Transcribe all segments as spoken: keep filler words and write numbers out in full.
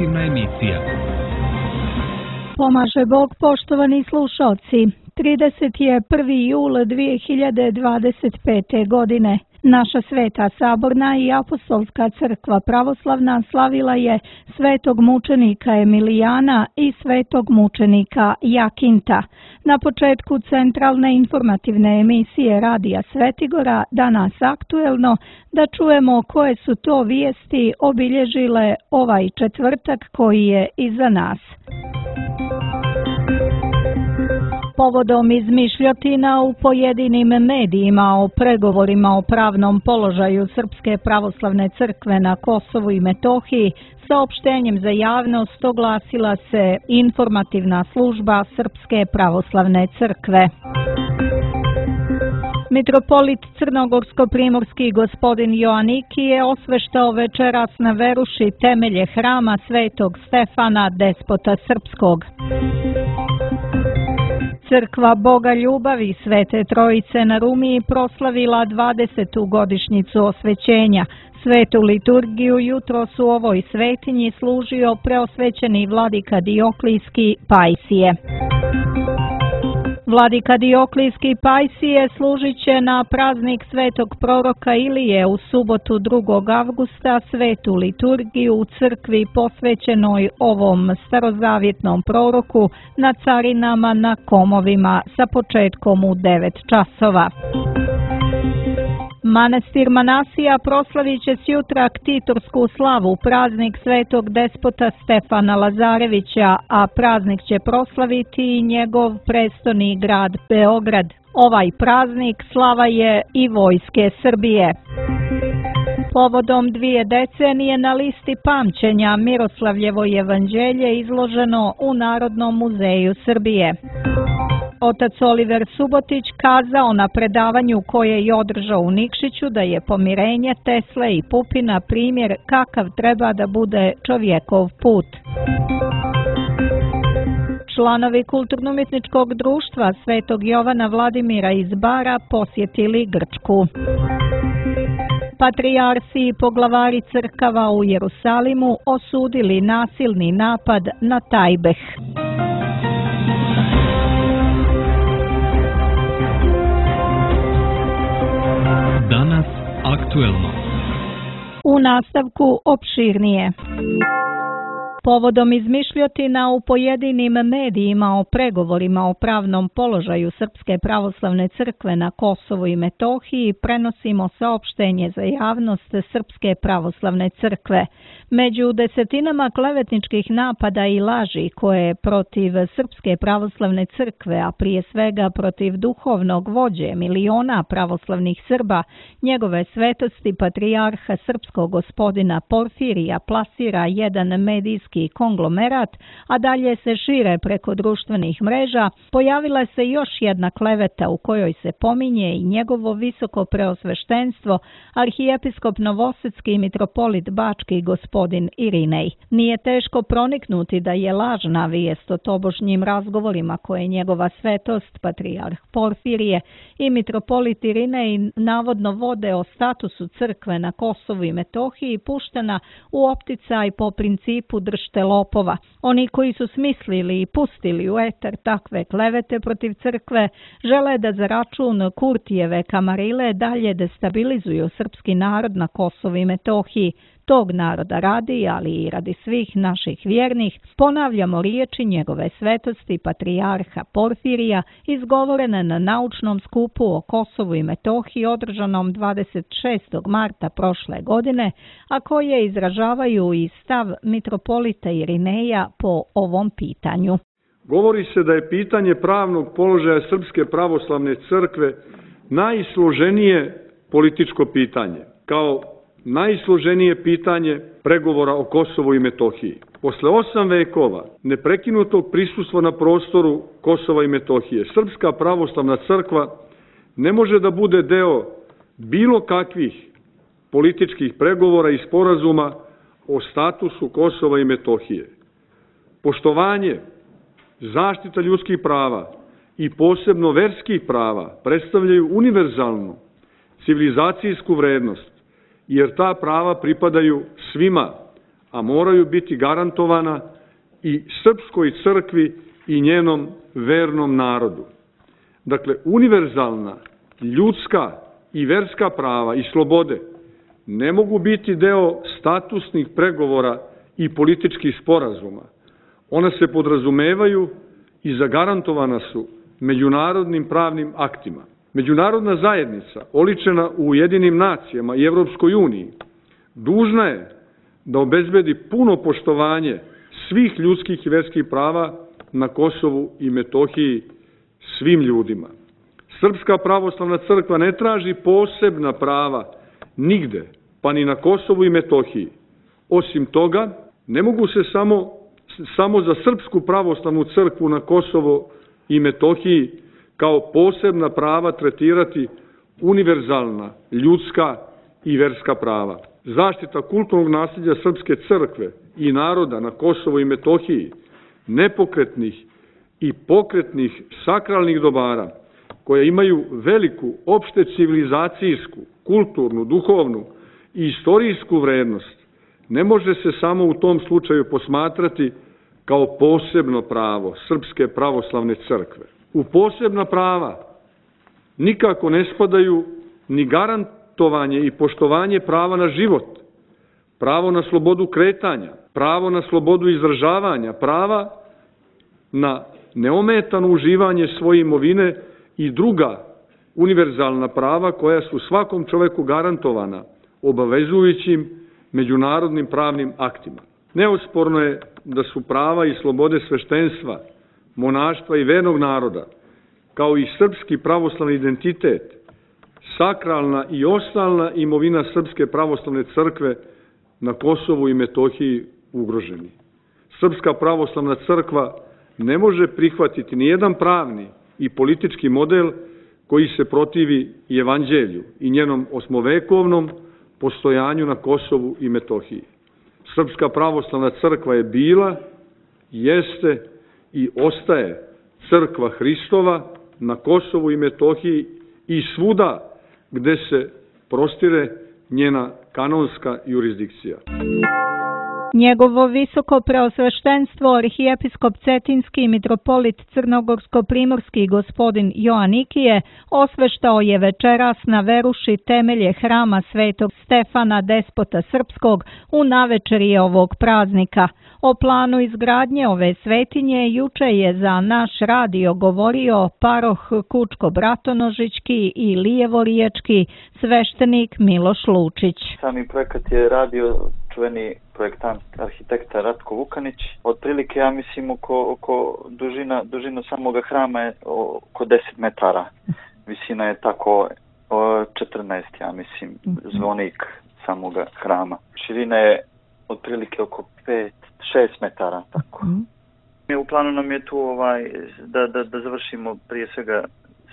informativna emisija. Pomaže Bog, poštovani slušalci. trideset prvi jul dvije hiljade dvadeset pete. godine. Naša Sveta Saborna i Apostolska crkva pravoslavna slavila je svetog mučenika Emilijana i svetog mučenika Jakinta. Na početku centralne informativne emisije Radija Svetigora, danas aktuelno, da čujemo koje su to vijesti obilježile ovaj četvrtak koji je iza nas. Povodom izmišljotina u pojedinim medijima o pregovorima o pravnom položaju Srpske pravoslavne crkve na Kosovu i Metohiji, saopštenjem za javnost oglasila se informativna služba Srpske pravoslavne crkve. Mitropolit crnogorsko-primorski gospodin Joaniki je osveštao večeras na Veruši temelje hrama Svetog Stefana, despota srpskog. Crkva Boga ljubavi Svete Trojice na Rumiji proslavila dvadesetu godišnjicu osvećenja. Svetu liturgiju jutros u ovoj svetinji služio preosvećeni vladika Dioklijski Pajsije. Vladika Dioklijski Pajsije služit će na praznik svetog proroka Ilije u subotu drugog avgusta svetu liturgiju u crkvi posvećenoj ovom starozavjetnom proroku na Carinama na Komovima sa početkom u devet časova. Manastir Manasija proslavit će sjutra ktitorsku slavu, praznik svetog despota Stefana Lazarevića, a praznik će proslaviti i njegov prestoni grad Beograd. Ovaj praznik slava je i vojske Srbije. Povodom dvije decenije na listi pamćenja Miroslavljevo evanđelje izloženo u Narodnom muzeju Srbije. Otac Oliver Subotić kazao na predavanju koje je održao u Nikšiću da je pomirenje Tesle i Pupina primjer kakav treba da bude čovjekov put. Članovi Kulturno-umjetničkog društva Svetog Jovana Vladimira iz Bara posjetili Grčku. Patrijarsi i poglavari crkava u Jerusalimu osudili nasilni napad na Tajbeh. Danas aktuelno. U nastavku opširnije. Povodom izmišljotina u pojedinim medijima o pregovorima o pravnom položaju Srpske pravoslavne crkve na Kosovu i Metohiji prenosimo saopštenje za javnost Srpske pravoslavne crkve. Među desetinama klevetničkih napada i laži koje protiv Srpske pravoslavne crkve, a prije svega protiv duhovnog vođe miliona pravoslavnih Srba, njegove svetosti patrijarha srpskog gospodina Porfirija plasira jedan medijski konglomerat, a dalje se šire preko društvenih mreža, pojavila se još jedna kleveta u kojoj se pominje i njegovo visoko preosveštenstvo, arhijepiskop novosadski mitropolit bački gospodin Irinej. Nije teško proniknuti da je lažna vijest o tobožnjim razgovorima koje njegova svetost, patrijarh Porfirije i mitropolit Irinej navodno vode o statusu crkve na Kosovu i Metohiji puštena u opticaj po principu držte lopova. Oni koji su smislili i pustili u eter takve klevete protiv crkve žele da za račun Kurtijeve kamarile dalje destabilizuju srpski narod na Kosovu i Metohiji. Tog naroda radi, ali i radi svih naših vjernih, ponavljamo riječi njegove svetosti patrijarha Porfirija izgovorene na naučnom skupu o Kosovu i Metohiji održanom dvadeset šestog marta prošle godine, a koje izražavaju i stav mitropolita Irineja po ovom pitanju. Govori se da je pitanje pravnog položaja Srpske pravoslavne crkve najsloženije političko pitanje, kao najsloženije pitanje pregovora o Kosovu i Metohiji. Posle osam vekova neprekinutog prisustva na prostoru Kosova i Metohije, Srpska pravoslavna crkva ne može da bude deo bilo kakvih političkih pregovora i sporazuma o statusu Kosova i Metohije. Poštovanje, zaštita ljudskih prava i posebno verskih prava predstavljaju univerzalnu civilizacijsku vrednost, jer ta prava pripadaju svima, a moraju biti garantovana i srpskoj crkvi i njenom vernom narodu. Dakle, univerzalna, ljudska i verska prava i slobode ne mogu biti deo statusnih pregovora i političkih sporazuma. Ona se podrazumevaju i zagarantovana su međunarodnim pravnim aktima. Međunarodna zajednica, oličena u Ujedinjenim nacijama i Evropskoj uniji, dužna je da obezbedi puno poštovanje svih ljudskih i verskih prava na Kosovu i Metohiji svim ljudima. Srpska pravoslavna crkva ne traži posebna prava nigde, pa ni na Kosovu i Metohiji. Osim toga, ne mogu se samo, samo za Srpsku pravoslavnu crkvu na Kosovo i Metohiji kao posebna prava tretirati univerzalna, ljudska i verska prava. Zaštita kulturnog nasljeđa Srpske crkve i naroda na Kosovu i Metohiji, nepokretnih i pokretnih sakralnih dobara, koje imaju veliku opšte civilizacijsku, kulturnu, duhovnu i istorijsku vrednost, ne može se samo u tom slučaju posmatrati kao posebno pravo Srpske pravoslavne crkve. U posebna prava nikako ne spadaju ni garantovanje i poštovanje prava na život, pravo na slobodu kretanja, pravo na slobodu izražavanja, prava na neometano uživanje svoje imovine i druga univerzalna prava koja su svakom čoveku garantovana obavezujućim međunarodnim pravnim aktima. Neosporno je da su prava i slobode sveštenstva, monaštva i vernog naroda, kao i srpski pravoslavni identitet, sakralna i ostalna imovina Srpske pravoslavne crkve na Kosovu i Metohiji ugroženi. Srpska pravoslavna crkva ne može prihvatiti nijedan pravni i politički model koji se protivi i evanđelju i njenom osmovekovnom postojanju na Kosovu i Metohiji. Srpska pravoslavna crkva je bila, jeste i ostaje crkva Hristova na Kosovu i Metohiji i svuda gde se prostire njena kanonska jurisdikcija. Njegovo visoko preosveštenstvo arhijepiskop Cetinski i mitropolit Crnogorsko-primorski gospodin Joanikije osveštao je večeras na veruši temelje hrama Svetog Stefana Despota Srpskog u navečerje ovog praznika. O planu izgradnje ove svetinje juče je za naš radio govorio paroh Kučko-Bratonožićki i Lijevoriječki sveštenik Miloš Lučić. Sami projekat je radio čuveni projektant arhitekta Ratko Vukanić. Otprilike, ja mislim, oko, oko dužina, dužina samoga hrama je oko deset metara. Visina je tako četrnaest, ja mislim, zvonik samoga hrama. Širina je otprilike oko pet šest metara, tako. Mm. U planu nam je tu ovaj, da, da, da završimo prije svega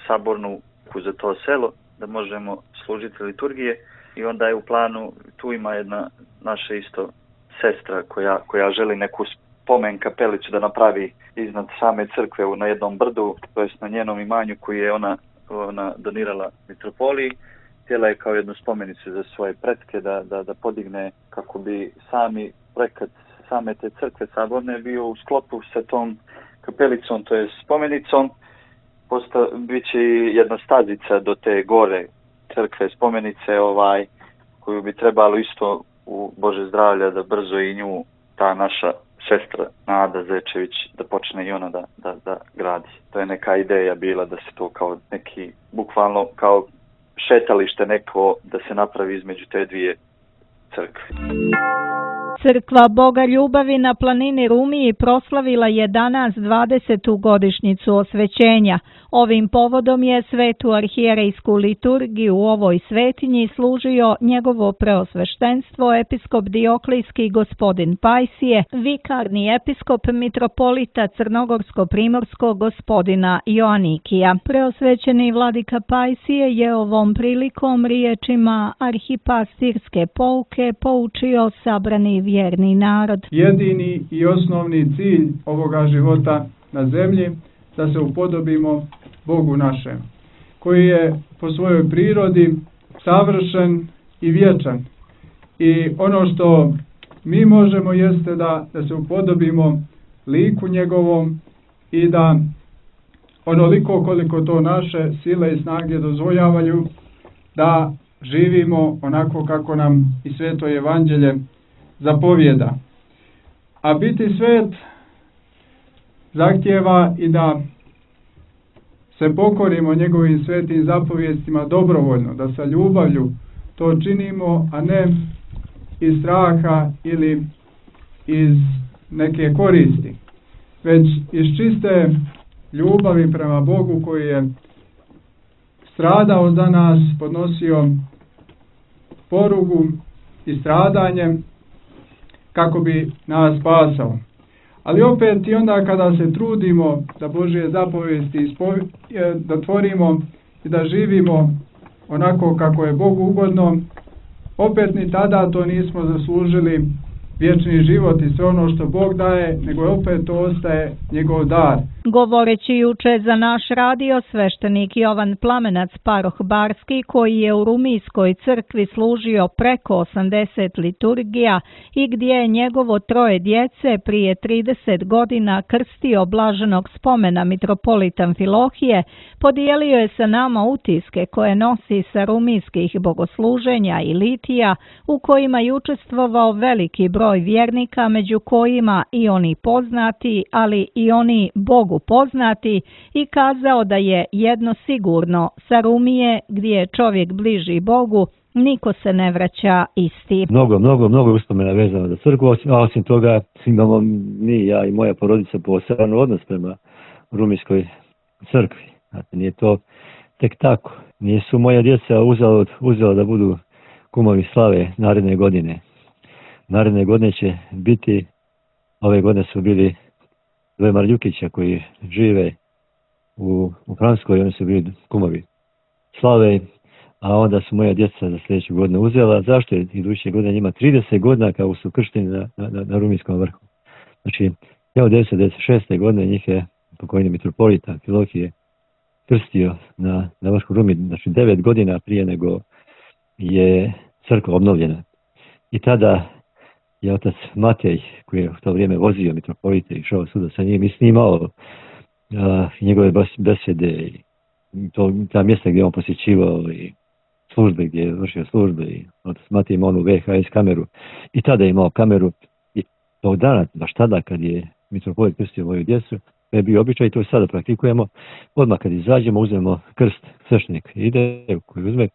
sabornu za to selo, da možemo služiti liturgije i onda je u planu, tu ima jedna naša isto sestra koja, koja želi neku spomen kapelicu da napravi iznad same crkve na jednom brdu, to jest na njenom imanju koji je ona, ona donirala mitropoliji. Htjela je kao jednu spomenicu za svoje pretke da, da, da podigne kako bi sami projekat same te crkve saborne bio u sklopu sa tom kapelicom, to je spomenicom. Posta, biće jedna stazica do te gore crkve spomenice ovaj, koju bi trebalo isto u Bože zdravlja da brzo i nju ta naša sestra Nada Zečević da počne i ona da, da, da gradi. To je neka ideja bila da se to kao neki, bukvalno kao šetalište neko da se napravi između te dvije crkve. Crkva Boga ljubavi na planini Rumiji proslavila je danas dvadesetu godišnjicu osvećenja. Ovim povodom je svetu arhijerejsku liturgiju u ovoj svetinji služio njegovo preosveštenstvo episkop Dioklijski gospodin Pajsije, vikarni episkop mitropolita Crnogorsko-primorskog gospodina Joanikija. Preosvećeni vladika Pajsije je ovom prilikom riječima arhipastirske pouke poučio sabrani vjerni narod. Jedini i osnovni cilj ovoga života na zemlji da se upodobimo Bogu našem, koji je po svojoj prirodi savršen i vječan. I ono što mi možemo jeste da, da se upodobimo liku njegovom i da onoliko koliko to naše sile i snage dozvoljavaju, da živimo onako kako nam i Sveto Evanđelje zapovijeda. A biti svet zahtijeva i da se pokorimo njegovim svetim zapovijestima dobrovoljno, da sa ljubavlju to činimo, a ne iz straha ili iz neke koristi, već iz čiste ljubavi prema Bogu koji je stradao za nas, podnosio porugu i stradanje kako bi nas spasao. Ali opet i onda kada se trudimo da Božje zapovijesti da tvorimo i da živimo onako kako je Bogu ugodno, opet ni tada to nismo zaslužili vječni život i sve ono što Bog daje, nego opet to ostaje njegov dar. Govoreći juče za naš radio, sveštenik Jovan Plamenac Paroh Barski, koji je u Rumijskoj crkvi služio preko osamdeset liturgija i gdje je njegovo troje djece prije trideset godina krstio blaženog spomena mitropolita Amfilohije, podijelio je sa nama utiske koje nosi sa rumijskih bogosluženja i litija, u kojima je učestvovao veliki broj vjernika, među kojima i oni poznati, ali i oni Bogu poznati, i kazao da je jedno sigurno: sa Rumije, gdje je čovjek bliži Bogu, niko se ne vraća isti. Mnogo, mnogo, mnogo uspomena vezano za crkvu, a osim toga imamo mi, ja i moja porodica, poseban odnos prema Rumijskoj crkvi. Znate, nije to tek tako. Nisu moja djeca uzela, uzela da budu kumovi slave naredne godine. Naredne godine će biti, ove godine su bili dvoje Marljukića koji žive u, u Francuskoj, oni su bili kumovi slave, a onda su moja djeca za sljedeću godinu uzela. Zašto je iduće godine njima trideset godina kao su kršteni na, na, na Rumijskom vrhu? Znači, evo devetsto devedeset šeste godine njih je pokojni mitropolita Amfilohije krstio na, na vrhu Rumi, znači devet godina prije nego je crkva obnovljena. I tada je otac Matej, koji je u to vrijeme vozio mitropolite i išao svuda sa njim i snimao uh, njegove besede i to, ta mjesta gdje on posjećivao i službe gdje je vršio službe, i otac Matej imao onu V H S kameru i tada je imao kameru, i tog dana, baš tada kad je mitropolit krstio moju djecu, to je bio običaj i to sada praktikujemo. Odmah kad izađemo uzmemo krst, sveštenik ide koji uzme,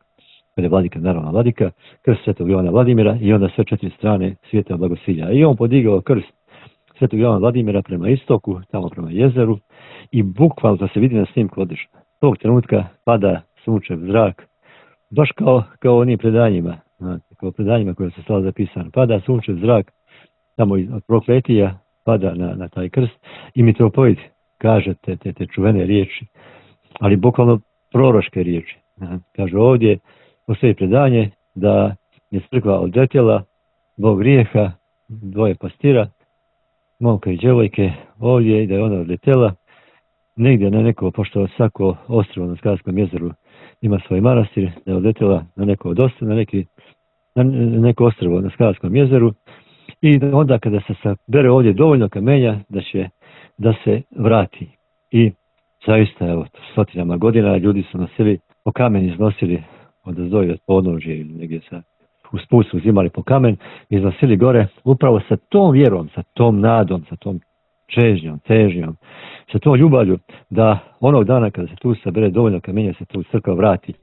kada je vladika, naravno vladika, krst Svetog Jovana Vladimira i onda sve četiri strane svijeta blagosilja. I on podigao krst Svetog Jovana Vladimira prema istoku, tamo prema jezeru, i bukvalno to se vidi na snimku odlično. Tog trenutka pada sunčev zrak, baš kao, kao onim predanjima, kao predanjima koje su stala zapisane. Pada sunčev zrak, tamo od prokletija, pada na, na taj krst i mitropolit kaže te, te, te čuvene riječi, ali bukvalno proroške riječi. Kaže ovdje, postoji predanje da je crkva odletjela zbog grijeha dvoje pastira, momka i djevojke, ovdje, i da je ona odletjela negdje na neko, pošto svako ostrvo na Skarskom jezeru ima svoj manastir, da je odletjela na neko od ostrva, na, neki, na neko ostrvo na Skarskom jezeru, i onda kada se sabere ovdje dovoljno kamenja da će da se vrati. I zaista, evo, stotinama godina ljudi su nosili po kamen, iznosili od zdoji od podnožje ili negdje sa uz put su uzimali po kamen, iznosili gore upravo sa tom vjerom, sa tom nadom, sa tom čežnjom, težnjom, sa tom ljubavlju da onog dana kada se tu sabere dovoljno kamenja se tu crkva vrati.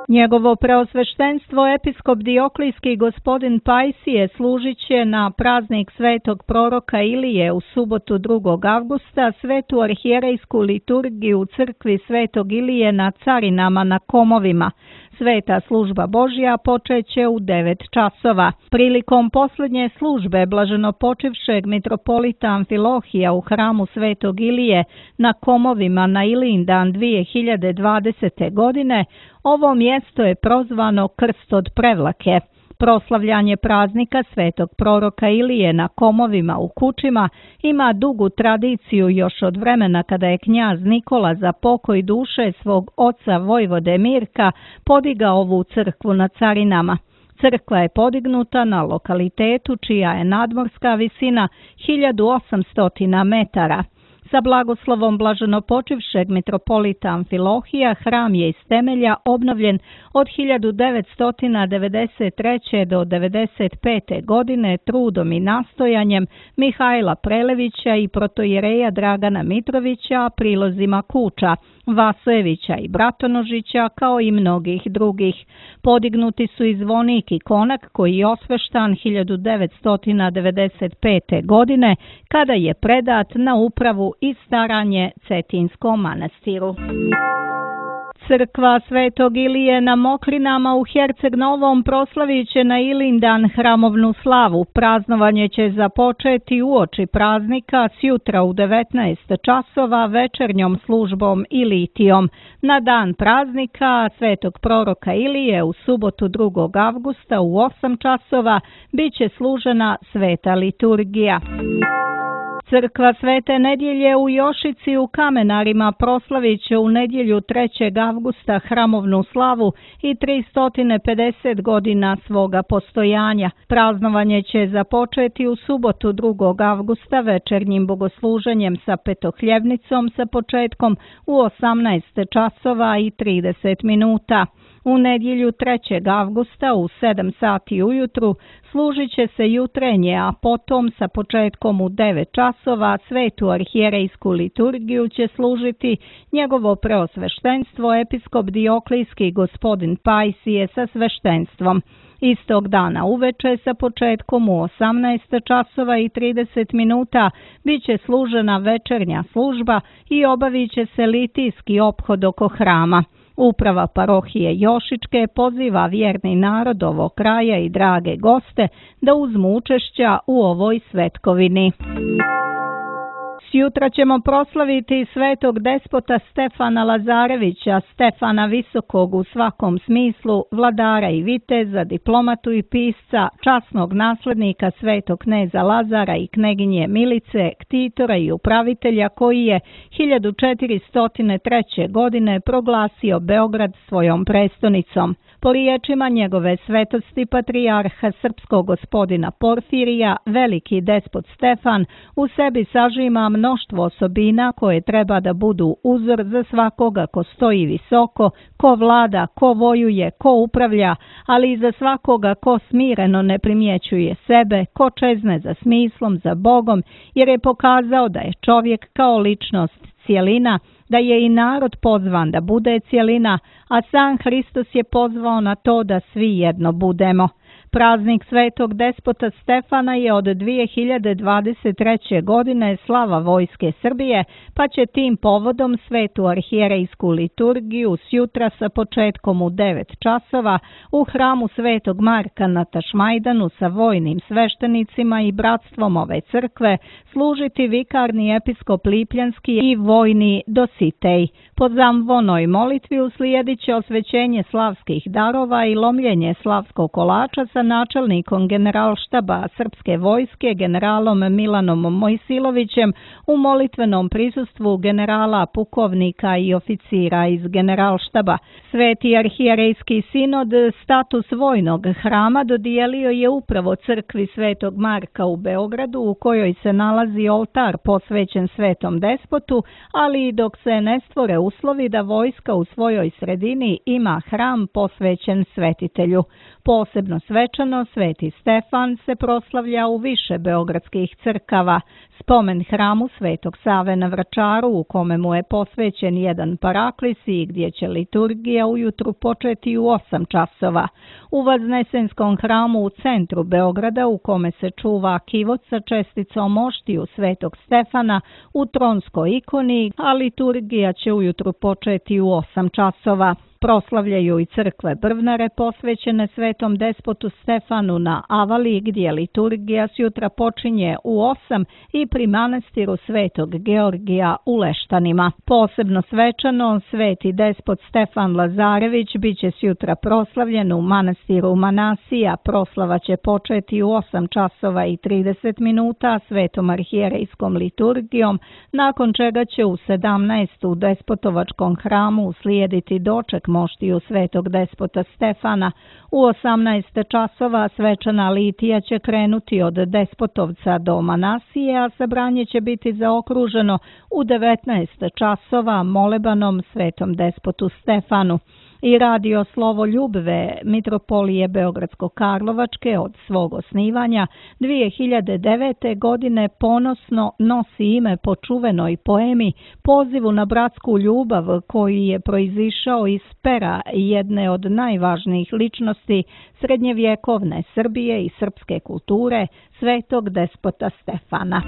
Njegovo preosveštenstvo episkop Dioklijski gospodin Pajsije služit će na praznik svetog proroka Ilije u subotu drugog avgusta svetu arhijerejsku liturgiju u crkvi svetog Ilije na Carinama na Komovima. Sveta služba Božja počeće u devet časova. Prilikom posljednje službe blaženopočivšeg mitropolita Amfilohija u hramu svetog Ilije na Komovima na Ilindan dvije hiljade dvadesete. godine, ovo mjesto je prozvano Krst od Prevlake. Proslavljanje praznika svetog proroka Ilije na Komovima u Kučima ima dugu tradiciju još od vremena kada je knjaz Nikola za pokoj duše svog oca vojvode Mirka podigao ovu crkvu na Carinama. Crkva je podignuta na lokalitetu čija je nadmorska visina hiljadu osamsto metara. Sa blagoslovom blaženopočivšeg mitropolita Amfilohija hram je iz temelja obnovljen od hiljadu devetsto devedeset treće. do devedeset pete. godine trudom i nastojanjem Mihajla Prelevića i protojereja Dragana Mitrovića, prilozima Kuča, Vasojevića i Bratonožića, kao i mnogih drugih. Podignuti su i zvonik i konak koji je osveštan hiljadu devetsto devedeset pete. godine kada je predat na upravu i staranje Cetinskom manastiru. Crkva Svetog Ilije na Mokrinama u Herceg Novom proslavit će na Ilindan hramovnu slavu. Praznovanje će započeti uoči praznika sjutra u devetnaest časova večernjom službom Ilitijom. Na dan praznika Svetog proroka Ilije u subotu drugog avgusta u osam časova bit će služena sveta liturgija. Crkva Svete Nedjelje u Jošici u Kamenarima proslavit će u nedjelju trećeg avgusta hramovnu slavu i tristo pedeset godina svoga postojanja. Praznovanje će započeti u subotu drugog avgusta večernjim bogosluženjem sa petohljevnicom sa početkom u osamnaest časova i trideset minuta. U nedjelju trećeg avgusta u sedam sati ujutru služit će se jutrenje, a potom sa početkom u devet časova svetu arhijerejsku liturgiju će služiti njegovo preosveštenstvo episkop Dioklijski gospodin Pajsije sa sveštenstvom. Istog dana uveče sa početkom u osamnaest časova i trideset minuta bit će služena večernja služba i obavit će se litijski ophod oko hrama. Uprava parohije Jošičke poziva vjerni narod ovog kraja i drage goste da uzmu učešća u ovoj svetkovini. Sjutra ćemo proslaviti svetog despota Stefana Lazarevića, Stefana Visokog u svakom smislu, vladara i viteza, diplomatu i pisca, časnog naslednika svetog kneza Lazara i kneginje Milice, ktitora i upravitelja koji je hiljadu četiristo treće. godine proglasio Beograd svojom prestonicom. Po riječima njegove svetosti patrijarha srpskog gospodina Porfirija, veliki despot Stefan u sebi sažima mnoštvo osobina koje treba da budu uzor za svakoga ko stoji visoko, ko vlada, ko vojuje, ko upravlja, ali i za svakoga ko smireno ne primjećuje sebe, ko čezne za smislom, za Bogom, jer je pokazao da je čovjek kao ličnost cijelina, da je i narod pozvan da bude cijelina, a sam Hristos je pozvao na to da svi jedno budemo. Praznik svetog despota Stefana je od dvije hiljade dvadeset treće. godine slava Vojske Srbije, pa će tim povodom svetu arhijerejsku liturgiju sjutra sa početkom u devet časova u hramu Svetog Marka na Tašmajdanu sa vojnim sveštenicima i bratstvom ove crkve služiti vikarni episkop Lipljanski i vojni Dositej. Po zamvonoj molitvi uslijedit će osvećenje slavskih darova i lomljenje slavskog kolača sa načelnikom generalštaba srpske vojske generalom Milanom Mojsilovićem u molitvenom prisustvu generala, pukovnika i oficira iz generalštaba. Sveti arhijerejski sinod status vojnog hrama dodijelio je upravo crkvi Svetog Marka u Beogradu, u kojoj se nalazi oltar posvećen svetom despotu, ali i dok se ne stvore uslovi da vojska u svojoj sredini ima hram posvećen svetitelju. Posebno svečano Sveti Stefan se proslavlja u više beogradskih crkava. Spomen hramu Svetog Save na Vračaru, u kome mu je posvećen jedan paraklis i gdje će liturgija ujutru početi u osam časova. U Vaznesenskom hramu u centru Beograda, u kome se čuva kivot sa česticom moštiju Svetog Stefana u tronskoj ikoni, a liturgija će ujutru početi u osam časova. Proslavljaju i crkve Brvnare posvećene svetom despotu Stefanu na Avali, gdje liturgija sjutra počinje u osam i pri manastiru Svetog Georgija u Leštanima. Posebno svečano sveti despot Stefan Lazarević bit će sjutra proslavljen u manastiru Manasija. Proslava će početi u osam časova i trideset minuta svetom arhijerejskom liturgijom, nakon čega će u sedamnaest u despotovačkom hramu uslijediti doček moštiju svetog despota Stefana. U osamnaest časova svečana litija će krenuti od Despotovca do Manasije, a sabranje će biti zaokruženo u devetnaest časova molebanom svetom despotu Stefanu. I radio Slovo Ljubve Mitropolije Beogradsko-Karlovačke od svog osnivanja dvije hiljade devete. godine ponosno nosi ime po čuvenoj poemi Pozivu na bratsku ljubav, koji je proizišao iz pera jedne od najvažnijih ličnosti srednjevjekovne Srbije i srpske kulture, svetog despota Stefana.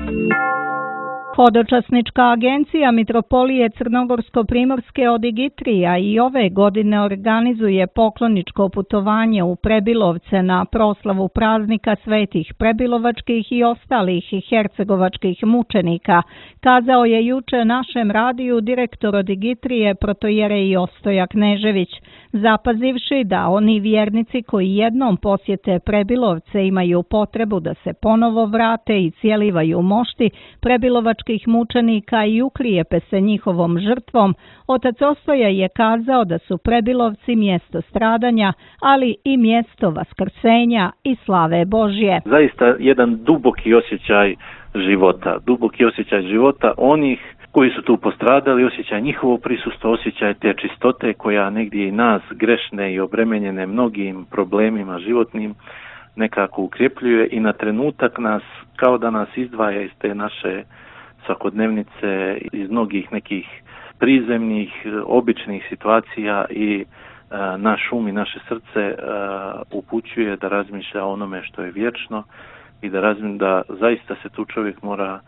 Hodočasnička agencija Mitropolije Crnogorsko-Primorske Odigitrija i ove godine organizuje pokloničko putovanje u Prebilovce na proslavu praznika svetih prebilovačkih i ostalih hercegovačkih mučenika, kazao je juče našem radiju direktor Odigitrije protojerej Ostoja Knežević, zapazivši da oni vjernici koji jednom posjete Prebilovce imaju potrebu da se ponovo vrate i cijelivaju mošti prebilovačkih mučenika i uklijepe se njihovom žrtvom, otac Ostoja je kazao da su Prebilovci mjesto stradanja, ali i mjesto vaskrsenja i slave Božje. Zaista jedan duboki osjećaj života, duboki osjećaj života onih koji su tu postradali, osjećaj njihovo prisustvo, osjećaj te čistote koja negdje i nas grešne i obremenjene mnogim problemima životnim nekako ukrepljuje i na trenutak nas, kao da nas izdvaja iz te naše svakodnevnice, iz mnogih nekih prizemnih, običnih situacija i a, naš um i naše srce a, upućuje da razmišlja o onome što je vječno i da razmišlja da zaista se tu čovjek mora,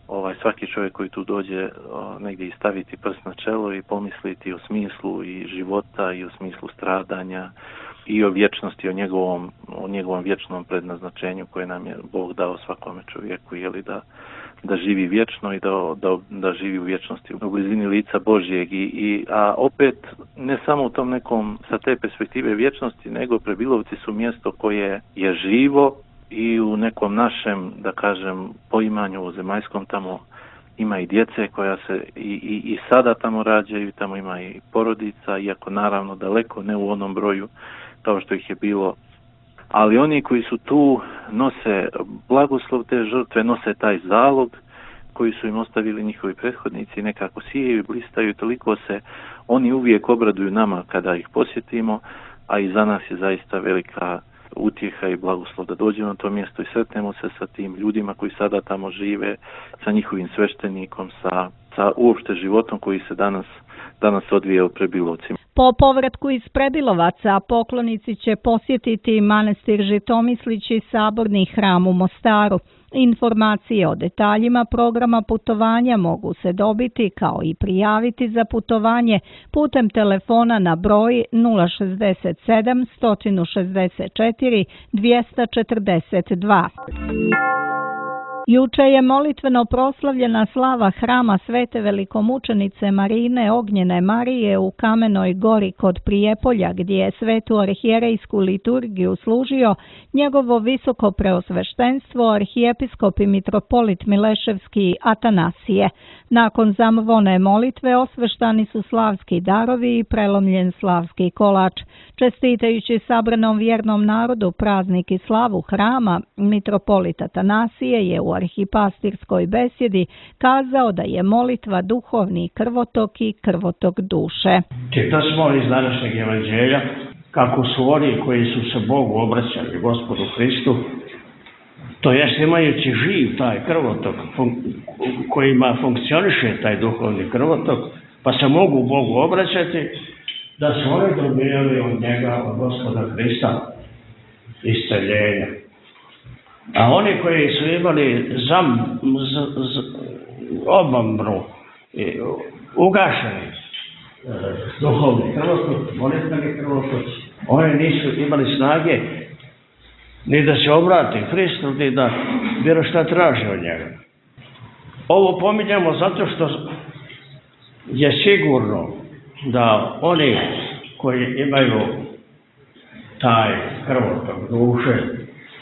ovaj, svaki čovjek koji tu dođe o, negdje i staviti prst na čelo i pomisliti o smislu i života i o smislu stradanja i o vječnosti, o njegovom, o njegovom vječnom prednaznačenju koje nam je Bog dao svakome čovjeku, jeli da da živi vječno i da, da, da živi u vječnosti u blizini lica Božjeg i, i a opet ne samo u tom nekom sa te perspektive vječnosti, nego Prebilovci su mjesto koje je živo i u nekom našem, da kažem, poimanju u zemaljskom tamo ima i djece koja se i, i, i sada tamo rađaju, tamo ima i porodica, iako naravno daleko ne u onom broju kao što ih je bilo. Ali oni koji su tu nose blagoslov te žrtve, nose taj zalog koji su im ostavili njihovi prethodnici, nekako sijaju i blistaju, toliko se oni uvijek obraduju nama kada ih posjetimo, a i za nas je zaista velika utjeha i blagoslov da dođemo na to mjesto i sretnemo se sa tim ljudima koji sada tamo žive, sa njihovim sveštenikom, sa, sa uopšte životom koji se danas, danas odvija u Prebilovcima. Po povratku iz Prebilovaca poklonici će posjetiti manastir Žitomislić i saborni hram u Mostaru. Informacije o detaljima programa putovanja mogu se dobiti kao i prijaviti za putovanje putem telefona na broj nula šezdeset sedam, sto šezdeset četiri, dvjesto četrdeset dva. Juče je molitveno proslavljena slava hrama Svete velikomučenice Marine Ognjene Marije u Kamenoj Gori kod Prijepolja, gdje je svetu arhijerejsku liturgiju služio njegovo visoko preosveštenstvo arhijepiskop i mitropolit Mileševski Atanasije. Nakon zamvone molitve osveštani su slavski darovi i prelomljen slavski kolač. Čestitajući sabranom vjernom narodu praznik i slavu hrama, mitropolit Atanasije je u arhipastirskoj besjedi kazao da je molitva duhovni krvotok i krvotok duše. Čitali smo iz današnjeg evanđelja kako su oni koji su se Bogu obraćali, Gospodu Hristu, to jest imajući živ taj krvotok kojima funkcioniše taj duhovni krvotok, pa se mogu Bogu obraćati, da su oni dobijali od njega, od Gospoda Hrista, isceljenje. A oni koji su imali zam, z, z, obamru, ugašeni e, duhovni krvotok, molitveni krvotok, oni nisu imali snage ni da se obrati Hristu, ni da bilo šta traži od njega. Ovo pominjamo zato što je sigurno da oni koji imaju taj krvotok duše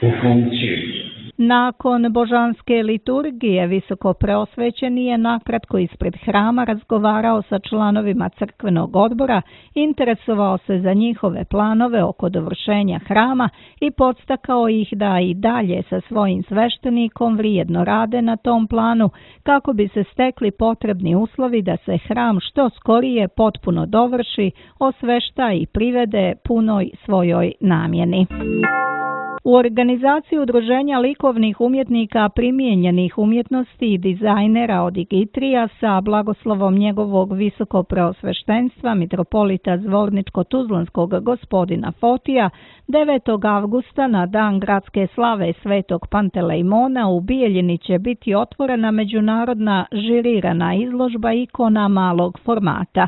u funkciji, Nakon božanske liturgije visokopreosvećeni je nakratko ispred hrama razgovarao sa članovima crkvenog odbora, interesovao se za njihove planove oko dovršenja hrama i podstakao ih da i dalje sa svojim sveštenikom vrijedno rade na tom planu kako bi se stekli potrebni uslovi da se hram što skorije potpuno dovrši, osvešta i privede punoj svojoj namjeni. U organizaciji Udruženja likovnih umjetnika primijenjenih umjetnosti i dizajnera od Igitrija sa blagoslovom njegovog visokopreosveštenstva mitropolita Zvorničko-Tuzlanskog gospodina Fotija devetog avgusta na dan gradske slave Svetog Pantelejmona u Bijeljini će biti otvorena međunarodna žirirana izložba ikona malog formata.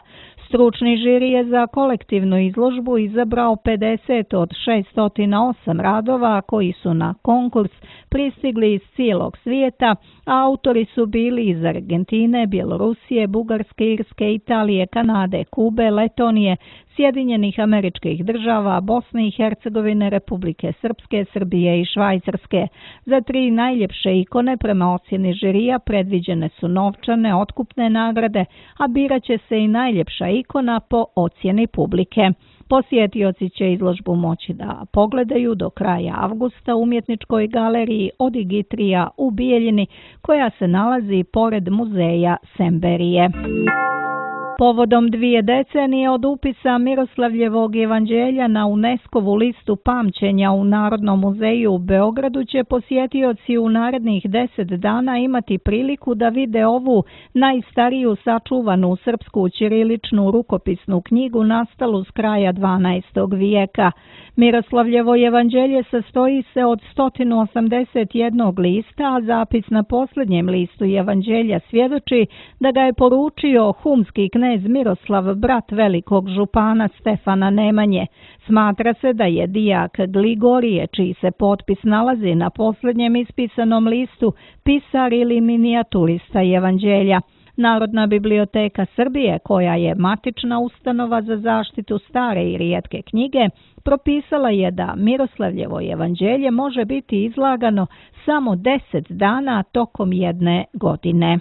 Stručni žiri je za kolektivnu izložbu izabrao pedeset od šesnaest zero osam radova koji su na konkurs pristigli iz cijelog svijeta, a autori su bili iz Argentine, Bjelorusije, Bugarske, Irske, Italije, Kanade, Kube, Letonije, Sjedinjenih Američkih Država, Bosne i Hercegovine, Republike Srpske, Srbije i Švajcarske. Za tri najljepše ikone prema ocjeni žirija predviđene su novčane otkupne nagrade, a birat će se i najljepša ikona po ocjeni publike. Posjetioci će izložbu moći da pogledaju do kraja avgusta u umjetničkoj galeriji od Igitrija u Bijeljini, koja se nalazi pored muzeja Semberije. Povodom dvije decenije od upisa Miroslavljevog evanđelja na UNESCO-vu listu pamćenja u Narodnom muzeju u Beogradu će posjetioci u narednih deset dana imati priliku da vide ovu najstariju sačuvanu srpsku ćiriličnu rukopisnu knjigu nastalu s kraja dvanaestog vijeka. Miroslavljevo evanđelje sastoji se od sto osamdeset jednog lista, a zapis na posljednjem listu evanđelja svjedoči da ga je poručio humski knez Miroslav, brat velikog župana Stefana Nemanje. Smatra se da je dijak Gligorije, čiji se potpis nalazi na posljednjem ispisanom listu, pisar ili minijaturista evanđelja. Narodna biblioteka Srbije, koja je matična ustanova za zaštitu stare i rijetke knjige, propisala je da Miroslavljevo evanđelje može biti izlagano samo deset dana tokom jedne godine.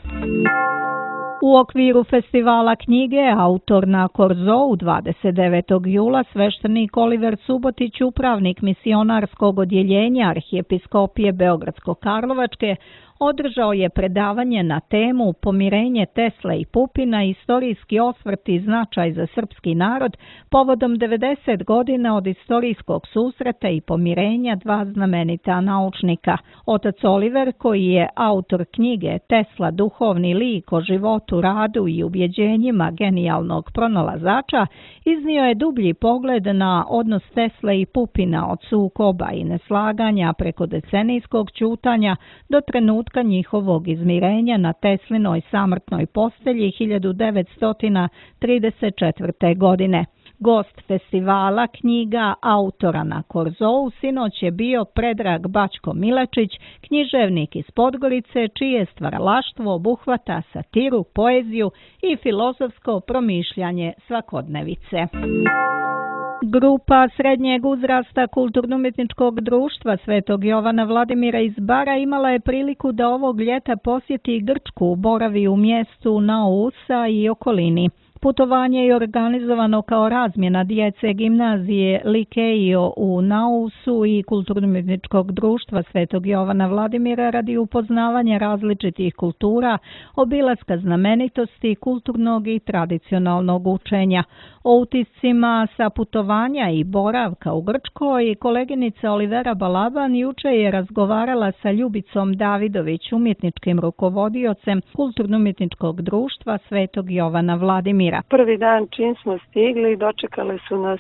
U okviru festivala knjige Autor na Korzou dvadeset devetog jula sveštenik Oliver Subotić, upravnik misionarskog odjeljenja Arhijepiskopije Beogradsko-Karlovačke, održao je predavanje na temu Pomirenje Tesle i Pupina, istorijski osvrt i značaj za srpski narod povodom devedeset godina od istorijskog susreta i pomirenja dva znamenita naučnika. Otac Oliver, koji je autor knjige Tesla, duhovni lik o životu, radu i ubjeđenjima genijalnog pronalazača, iznio je dublji pogled na odnos Tesle i Pupina od sukoba i neslaganja preko decenijskog ćutanja do trenutka njihovog izmirenja na Teslinoj samrtnoj postelji hiljadu devetsto trideset četvrte. godine. Gost festivala knjiga Autora na Korzou sinoć je bio Predrag Bačko Milečić, književnik iz Podgorice, čije stvaralaštvo obuhvata satiru, poeziju i filozofsko promišljanje svakodnevice. Grupa srednjeg uzrasta Kulturno-umjetničkog društva Svetog Jovana Vladimira iz Bara imala je priliku da ovog ljeta posjeti Grčku, boravi u mjestu Naousa i okolini. Putovanje je organizovano kao razmjena djece gimnazije Likeio u Nausu i Kulturno-umjetničkog društva Svetog Jovana Vladimira radi upoznavanja različitih kultura, obilaska znamenitosti, kulturnog i tradicionalnog učenja. O utiscima sa putovanja i boravka u Grčkoj koleginica Olivera Balaban juče je razgovarala sa Ljubicom Davidović, umjetničkim rukovodiocem Kulturno-umjetničkog društva Svetog Jovana Vladimira. Prvi dan čim smo stigli, dočekale su nas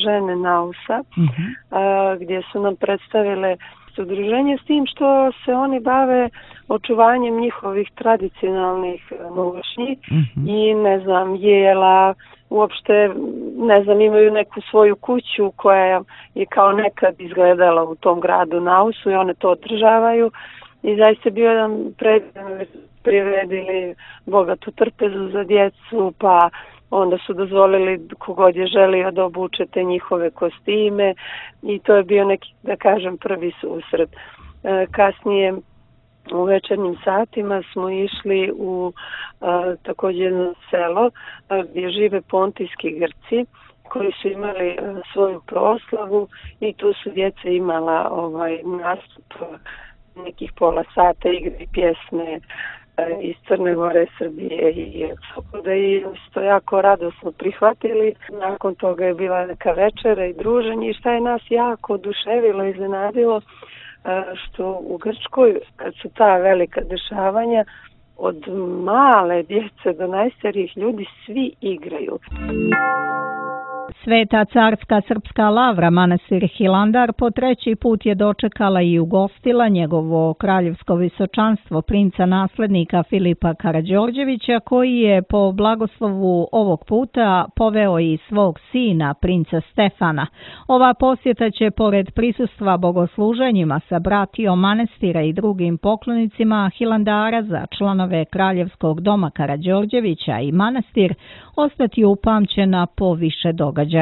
žene Nausa, uh-huh. gdje su nam predstavile udruženje s tim što se oni bave očuvanjem njihovih tradicionalnih nošnji uh-huh. i ne znam, jela, uopšte, ne znam, imaju neku svoju kuću koja je kao nekad izgledala u tom gradu Nausu i one to održavaju i zaista bio jedan predivno priredili bogatu trpezu za djecu, pa onda su dozvolili kogod je želio da obuče te njihove kostime i to je bio neki, da kažem, prvi susret. kasnije u večernjim satima smo išli u a, također jedno selo a, gdje žive Pontijski Grci koji su imali a, svoju proslavu i tu su djeca imala ovaj nastup nekih pola sata, igre i pjesme a, iz Crne Gore, Srbije i da i to jako radosno prihvatili. Nakon toga je bila neka večera i druženje i šta je nas jako oduševilo i iznenadilo, što u Grčkoj, kad su ta velika dešavanja, od male djece do najstarijih ljudi svi igraju. Sveta carska srpska lavra manastir Hilandar po treći put je dočekala i ugostila njegovo kraljevsko visočanstvo princa naslednika Filipa Karađorđevića, koji je po blagoslovu ovog puta poveo i svog sina princa Stefana. Ova posjeta će pored prisustva bogosluženjima sa bratijom manastira i drugim poklonicima Hilandara za članove kraljevskog doma Karađorđevića i manastir ostati upamćena po više događaja.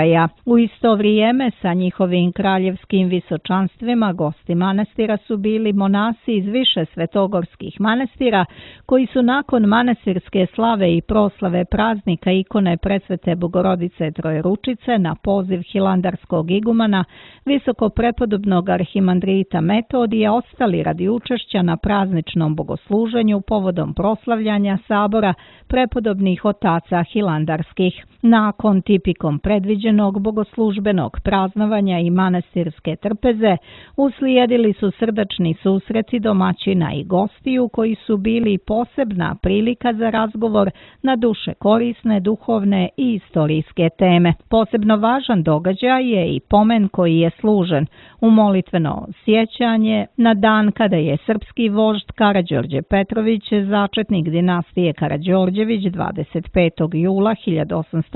U isto vrijeme sa njihovim kraljevskim visočanstvima gosti manastira su bili monasi iz više svetogorskih manastira koji su nakon manastirske slave i proslave praznika ikone Presvete Bogorodice Trojeručice na poziv hilandarskog igumana visoko prepodobnog arhimandrita Metodija ostali radi učešća na prazničnom bogosluženju povodom proslavljanja sabora prepodobnih otaca hilandarskih. Nakon tipikom predviđenog bogoslužbenog praznovanja i manastirske trpeze uslijedili su srdačni susreti domaćina i gostiju koji su bili posebna prilika za razgovor na duše korisne, duhovne i istorijske teme. Posebno važan događaj je i pomen koji je služen u molitveno sjećanje na dan kada je srpski vožd Karađorđe Petrović, začetnik dinastije Karađorđević, dvadeset petog jula hiljadu osamsto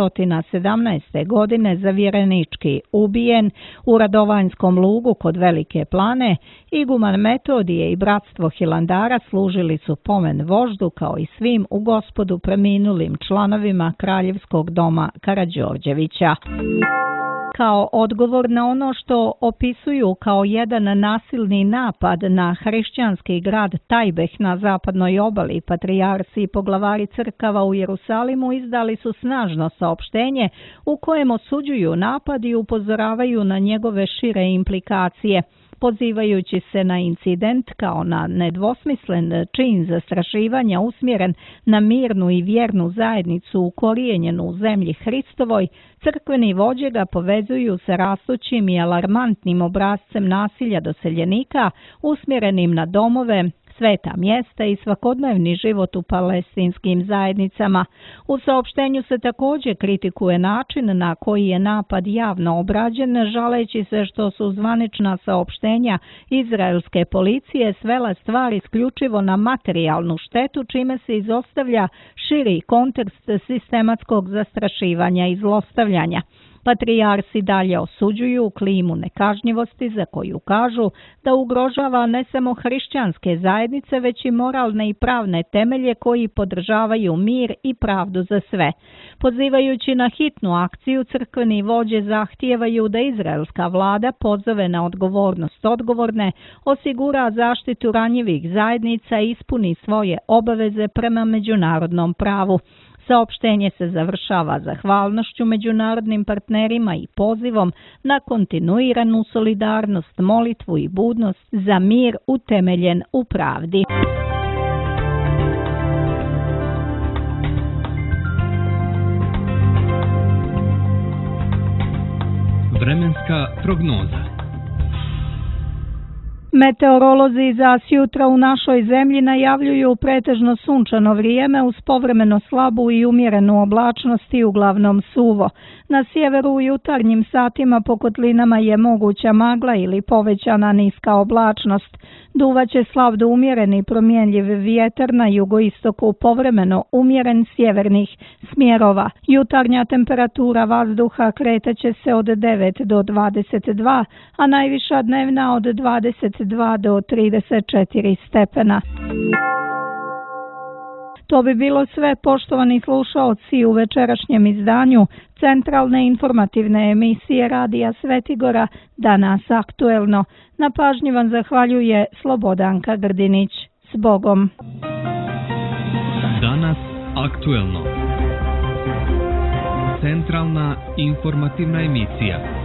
sedamnaeste. godine zavjerenički ubijen u Radovanjskom lugu kod Velike Plane. Iguman Metodije i bratstvo Hilandara služili su pomen voždu kao i svim u Gospodu preminulim članovima kraljevskog doma Karađorđevića. Kao odgovor na ono što opisuju kao jedan nasilni napad na hrišćanski grad Tajbeh na zapadnoj obali, patrijarsi i poglavari crkava u Jerusalimu izdali su snažno saopštenje u kojem osuđuju napad i upozoravaju na njegove šire implikacije. Pozivajući se na incident kao na nedvosmislen čin zastrašivanja usmjeren na mirnu i vjernu zajednicu ukorijenjenu u zemlji Hristovoj, crkveni vođe ga povezuju sa rastućim i alarmantnim obrascem nasilja doseljenika usmjerenim na domove, sveta mjesta i svakodnevni život u palestinskim zajednicama. U saopštenju se također kritikuje način na koji je napad javno obrađen, žaleći se što su zvanična saopštenja izraelske policije svela stvar isključivo na materijalnu štetu, čime se izostavlja širi kontekst sistematskog zastrašivanja i zlostavljanja. Patrijarsi dalje osuđuju klimu nekažnjivosti za koju kažu da ugrožava ne samo hrišćanske zajednice, već i moralne i pravne temelje koji podržavaju mir i pravdu za sve. Pozivajući na hitnu akciju, crkveni vođe zahtijevaju da izraelska vlada pozove na odgovornost odgovorne, osigura zaštitu ranjivih zajednica i ispuni svoje obaveze prema međunarodnom pravu. Saopštenje se završava zahvalnošću međunarodnim partnerima i pozivom na kontinuiranu solidarnost, molitvu i budnost za mir utemeljen u pravdi. Vremenska prognoza. Meteorolozi za sjutra u našoj zemlji najavljuju pretežno sunčano vrijeme uz povremeno slabu i umjerenu oblačnost i uglavnom suvo. Na sjeveru u jutarnjim satima po kotlinama je moguća magla ili povećana niska oblačnost. Duvaće slab do umjereni promjenjiv vjetar, na jugoistoku povremeno umjeren sjevernih smjerova. Jutarnja temperatura vazduha kretaće se od devet do dvadeset dva, a najviša dnevna od dvadeset dva do trideset četiri stepena. To bi bilo sve, poštovani slušaoci, u večerašnjem izdanju centralne informativne emisije Radija Svetigora, danas aktuelno. Na pažnji vam zahvaljuje Slobodanka Grdinić. S Bogom! Danas aktuelno. Centralna informativna emisija.